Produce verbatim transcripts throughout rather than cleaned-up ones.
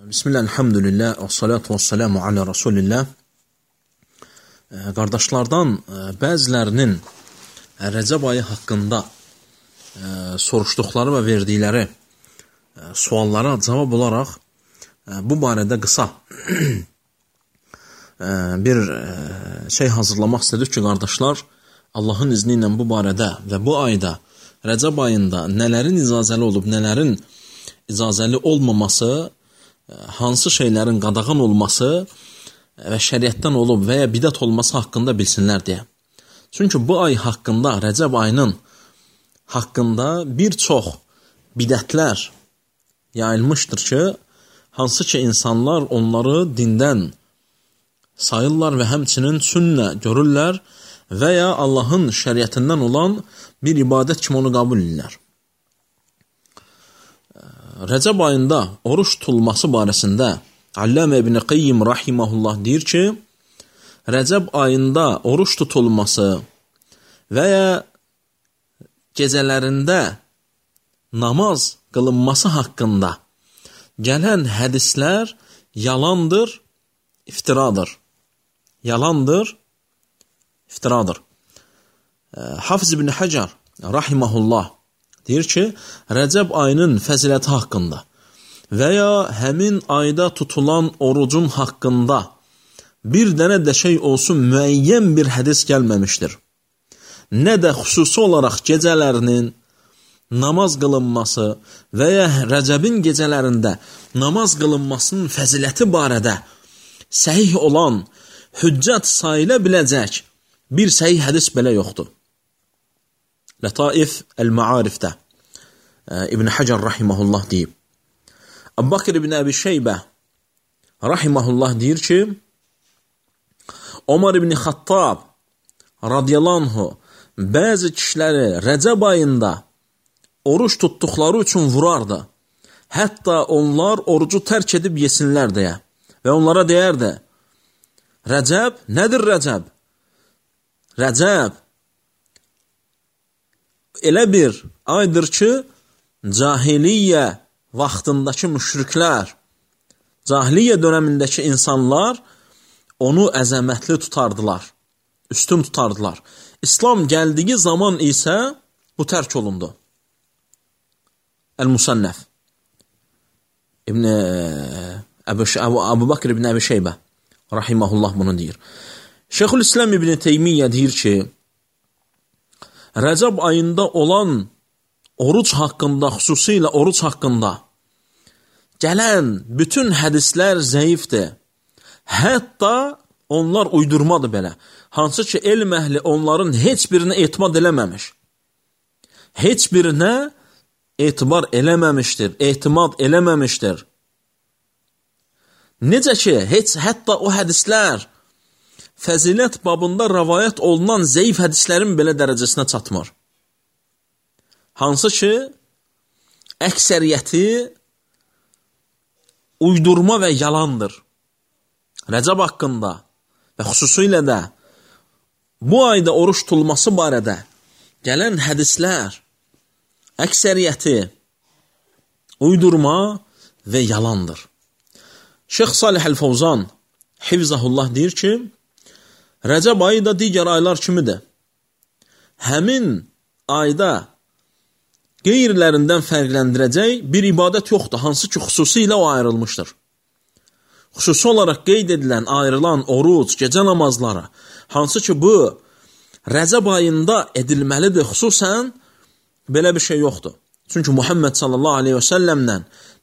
Bismillah, elhamdülillah, və salatu və salamu alə Rasulillah. Qardaşlardan bəzilərinin Rəcəb ayı haqqında soruşduqları və verdikləri suallara cavab olaraq bu barədə qısa bir şey hazırlamaq istədik ki, qardaşlar, Allahın izni ilə bu barədə və bu ayda, Rəcəb ayında nələrin icazəli olub, nələrin icazəli olmaması, hansı şeylərin qadağan olması və şəriətdən olub və ya bidət olması haqqında bilsinlər deyə. Çünki bu ay haqqında, Rəcəb ayının haqqında bir çox bidətlər yayılmışdır ki, hansı ki insanlar onları dindən sayırlar və həmçinin sünnə görürlər və ya Allahın şəriətindən olan bir ibadət kimi onu qəbul edirlər. Rəcəb ayında oruç tutulması barəsində Allamə İbn Qayyim rahimehullah deyir ki, Rəcəb ayında oruç tutulması və ya gecələrində namaz qılınması haqqında gələn hədislər yalandır, iftiradır. Yalandır, iftiradır. Hafiz İbn Hacer rahimehullah deyir ki, Rəcəb ayının fəziləti haqqında və ya həmin ayda tutulan orucun haqqında bir dənə də şey olsun müəyyən bir hədis gəlməmişdir. Nə də xüsusi olaraq gecələrinin namaz qılınması və ya Rəcəbin gecələrində namaz qılınmasının fəziləti barədə səhih olan, hüccət sayıla biləcək bir səhih hədis belə yoxdur. Lataif el-Ma'arifdə İbn Hacer rahimehullah deyib. Əbu Bakr ibn Əbi Şeybə rahimehullah deyir ki, Ömər ibn Xattab radiyallahu anhu bəzi kişiləri Rəcəb ayında oruç tutduqları üçün vurardı. Hətta onlar orucu tərk edib yesinlər deyə. Və onlara deyərdi, Rəcəb, nədir Rəcəb? Rəcəb elə bir aydır ki, cahiliyyə vaxtındakı müşriklər, cahiliyyə dönəmindəki insanlar onu əzəmətli tutardılar, üstün tutardılar. İslam gəldiyi zaman isə bu tərk olundu. El-Musannəf İbn Əbu Bakr ibn Əbi Şeybə rahimehullah bunu deyir. Şeyxülislam İbn Teymiyyə deyir ki, Rəcəb ayında olan oruc haqqında, xüsusilə oruc haqqında gələn bütün hədislər zəifdir. Hətta onlar uydurmadır belə. Hansı ki, elm əhli onların heç birinə etimad eləməmiş. Heç birinə etibar eləməmişdir, etimad eləməmişdir. Necə ki, heç hətta o hədislər fəzilət babında rəvayət olunan zəif hədislərin belə dərəcəsinə çatmır. Hansı ki, əksəriyyəti uydurma və yalandır. Rəcəb haqqında və xüsusilə də bu ayda oruç tutulması barədə gələn hədislər əksəriyyəti uydurma və yalandır. Şeyx Salih Əl-Fawzan Hifzahullah deyir ki, Rəcəb ayı da digər aylar kimidir. Həmin ayda qeyrilərindən fərqləndirəcək bir ibadət yoxdur, hansı ki, xüsusilə o ayrılmışdır. Xüsusi olaraq qeyd edilən, ayrılan oruc, gecə namazları, hansı ki, bu Rəcəb ayında edilməlidir, xüsusən belə bir şey yoxdur. Çünki Muhammed sallallahu aleyhi və səlləmlə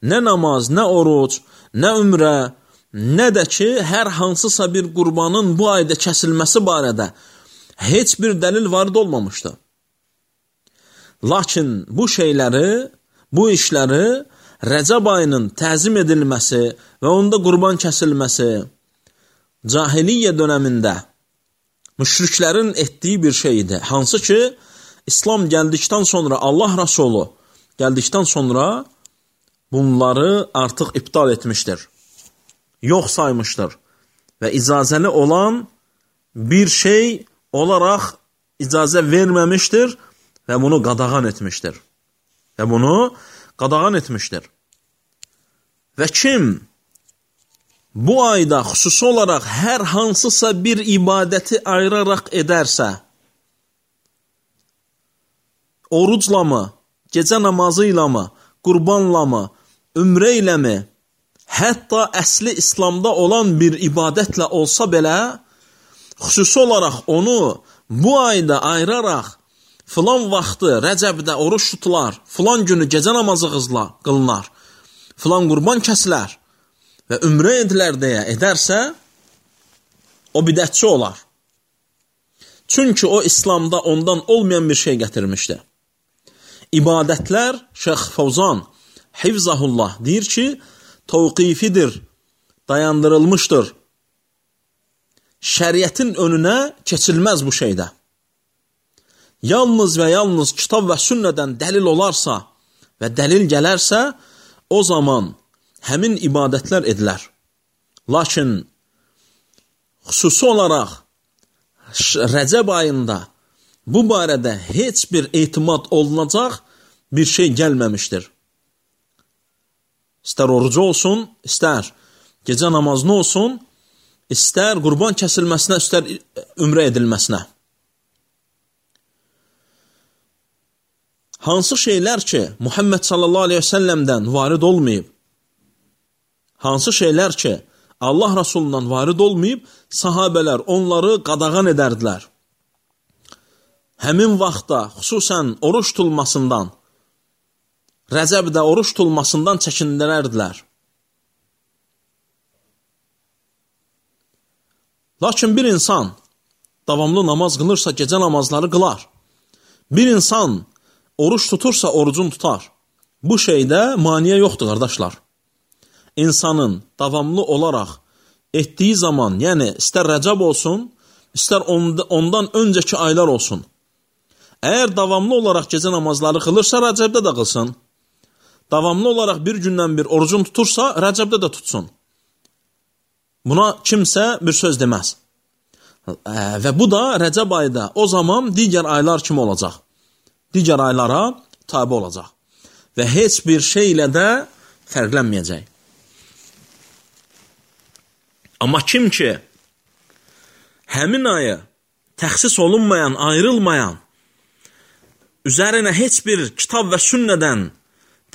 nə namaz, nə oruc, nə ümrə, nə də ki, hər hansısa bir qurbanın bu ayda kəsilməsi barədə heç bir dəlil varid olmamışdır. Lakin bu şeyləri, bu işləri Rəcəb ayının təzim edilməsi və onda qurban kəsilməsi cahiliyyə dönəmində müşriklərin etdiyi bir şeydir. Hansı ki, İslam gəldikdən sonra, Allah Rasulü gəldikdən sonra bunları artıq iptal etmişdir. Yox saymışdır və icazəli olan bir şey olaraq icazə verməmişdir və bunu qadağan etmişdir. Və bunu qadağan etmişdir. Və kim bu ayda xüsusi olaraq hər hansısa bir ibadəti ayıraraq edərsə, orucla mı, gecə namazı ilə mi, qurbanla mı, ümrə ilə mi, hətta əsli İslamda olan bir ibadətlə olsa belə, xüsusi olaraq onu bu ayda ayıraraq, filan vaxtı Rəcəbdə oruç tutular, filan günü gecə namazı qılınar, filan qurban kəsilər və ümrə edilər deyə edərsə, o bidətçi olar. Çünki o İslamda ondan olmayan bir şey gətirmişdi. İbadətlər, Şeyx Fəvzan, Hifzahullah deyir ki, təvqifidir, dayandırılmışdır. Şəriətin önünə keçilməz bu şeydə. Yalnız və yalnız kitab və sünnədən dəlil olarsa və dəlil gələrsə, o zaman həmin ibadətlər edilər. Lakin xüsusi olaraq Rəcəb ayında bu barədə heç bir etimad olunacaq bir şey gəlməmişdir. İstər orucu olsun, istər gecə namazını olsun, istər qurban kəsilməsinə, istər ümrə edilməsinə. Hansı şeylər ki, Muhammed sallallahu aleyhi və səlləmdən varid olmayıb, hansı şeylər ki, Allah Rasulundan varid olmayıb, sahabələr onları qadağan edərdilər. Həmin vaxtda xüsusən oruç tutulmasından, Rəcəbdə oruç tutulmasından çəkindirərdilər. Lakin bir insan davamlı namaz qılırsa, gecə namazları qılar. Bir insan oruç tutursa, orucunu tutar. Bu şeydə maniyə yoxdur, qardaşlar. İnsanın davamlı olaraq etdiyi zaman, yəni istər Rəcəb olsun, istər ondan öncəki aylar olsun. Əgər davamlı olaraq gecə namazları qılırsa, Rəcəbdə də qılsın. Davamlı olaraq bir gündən bir orucunu tutursa, Rəcəbdə də tutsun. Buna kimsə bir söz deməz. Və bu da Rəcəb ayda o zaman digər aylar kimi olacaq. Digər aylara tabi olacaq. Və heç bir şey ilə də fərqlənməyəcək. Amma kim ki, həmin ayı təxsis olunmayan, ayrılmayan, üzərinə heç bir kitab və sünnədən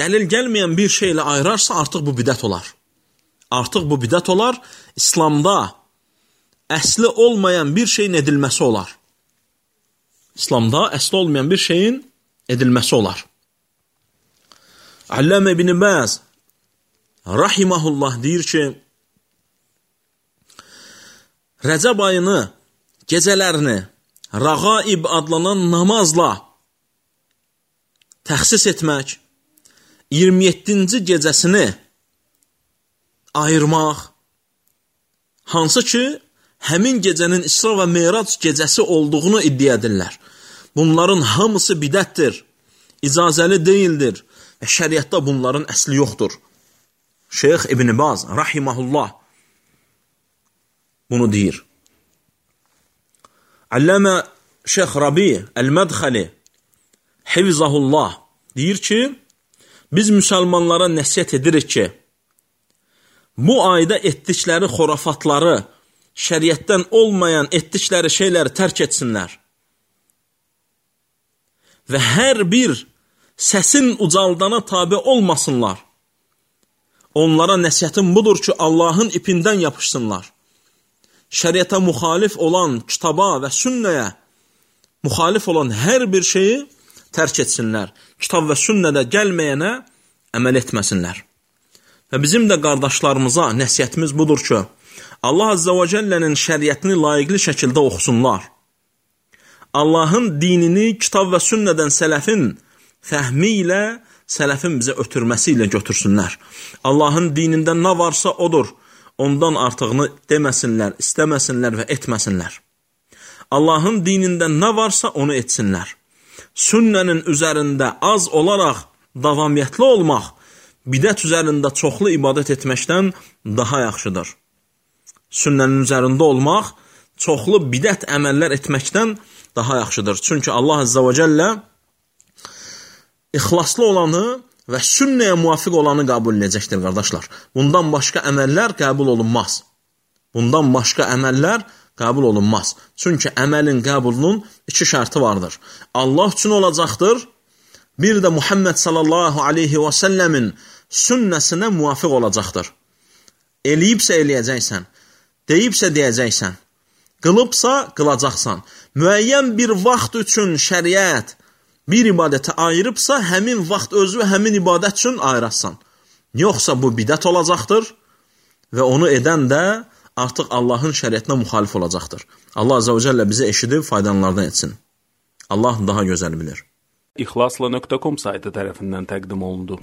dəlil gəlməyən bir şeylə ayırarsa, artıq bu bidət olar. Artıq bu bidət olar, İslamda əsli olmayan bir şeyin edilməsi olar. İslamda əsli olmayan bir şeyin edilməsi olar. Allamə ibn Baz rahimehullah deyir ki, Rəcəb ayını, gecələrini Rəğaib adlanan namazla təxsis etmək, iyirmi yeddinci gecəsini ayırmaq, hansı ki, həmin gecənin İsra və Meyrac gecəsi olduğunu iddia edirlər. Bunların hamısı bidətdir, icazəli deyildir və şəriətdə bunların əsli yoxdur. Şeyx İbn Baz, rahiməhullah, bunu deyir. Allamə Şeyx Rabi Əl-Mədxəli, Hifzahullah, deyir ki, biz müsəlmanlara nəsihət edirik ki, bu ayda etdikləri xorafatları, şəriətdən olmayan etdikləri şeyləri tərk etsinlər. Və hər bir səsin ucaldana tabi olmasınlar. Onlara nəsihətim budur ki, Allahın ipindən yapışsınlar. Şəriətə müxalif olan kitaba və sünnəyə müxalif olan hər bir şeyi tərk etsinlər. Kitab və sünnədə gəlməyənə əməl etməsinlər. Və bizim də qardaşlarımıza nəsihətimiz budur ki, Allah Azza və Cəllənin şəriətini layiqli şəkildə oxusunlar. Allahın dinini kitab və sünnədən sələfin fəhmi ilə, sələfin bizə ötürməsi ilə götürsünlər. Allahın dinindən nə varsa odur, ondan artığını deməsinlər, istəməsinlər və etməsinlər. Allahın dinindən nə varsa onu etsinlər. Sünnənin üzərində az olaraq davamiyyətli olmaq, bidət üzərində çoxlu ibadət etməkdən daha yaxşıdır. Sünnənin üzərində olmaq, çoxlu bidət əməllər etməkdən daha yaxşıdır. Çünki Allah Azza və Cəllə ixlaslı olanı və sünnəyə müvafiq olanı qəbul edəcəkdir, qardaşlar. Bundan başqa əməllər qəbul olunmaz. Bundan başqa əməllər qəbul olunmaz. Çünki əməlin qəbulunun iki şərti vardır. Allah üçün olacaqdır, bir də Muhammed sallallahu aleyhi və səlləmin sünnəsinə müvafiq olacaqdır. Eləyibsə eləyəcəksən, deyibsə deyəcəksən, qılıbsa qılacaqsan. Müəyyən bir vaxt üçün şəriət bir ibadəti ayırıbsa, həmin vaxt özü həmin ibadət üçün ayırasan. Yoxsa bu bidət olacaqdır və onu edən də artıq Allahın şəriətinə müxalif olacaqdır. Allah Azza və Cəllə bizi eşidib faydalanlardan etsin. Allah daha gözəl bilir. İxlasla nöqtə com saytı tərəfindən təqdim olundu.